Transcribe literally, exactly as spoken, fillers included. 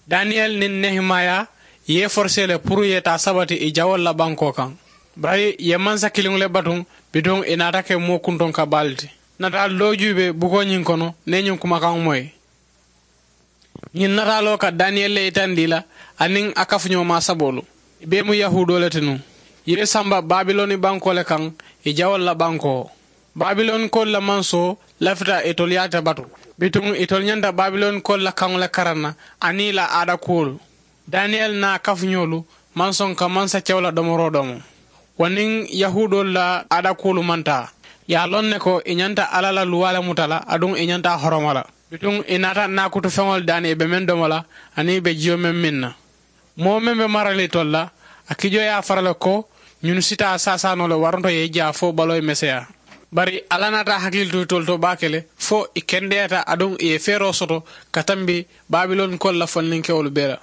Daniyel niŋ nehemaya ye i forosee le puru i ye taa sabati i jawoolu la bankoo kaŋ. Bari i ye mansa kiliŋo le batuŋ, bituŋ i naata ke moo kuntoŋ ka baa le ti. Nataalu doo juubee bukoo ñiŋ kono niŋ i ye ñiŋ kumakaŋo moyi. Ñiŋ nataaloo ka daniyeli le yitandi i la, aniŋ a kafuñoo maa saboolu. I bee mu yahuudoo le ti nuŋ. I ye i samba babiloni bankoo le kaŋ, i jawoolu la bankoo. Babilonikoolu la mansoo lafita itolu yaata batu. Bituŋ itolu ñanta babilonikoolu la kaŋo le karaŋ na, aniŋ i la aada kuwolu. Daniyeli niŋ a kafuñoolu maŋ soŋ ka mansa kewo la domoroo domo. Wo niŋ yahuudoolu la aada kuwolu maŋ taa. I ye a loŋ ne ko i ñanta alla la luwaa le muta la, aduŋ i ñanta a horoma la. Bituŋ i naata naakutu feŋolu daani i be meŋ domo la, aniŋ i be jiyo meŋ miŋ na. Moo meŋ be marali itolu la, a kijoo ye a fara le ko ñunu si taa saasaanoo le waranto ye i jaa fo baloo ye meseyaa. Bari alla naata a hakili tu itolu to baake le, fo i kendeyaata aduŋ i ye feeroo soto ka tambi babilonikoolu la fondinkewolu bee la.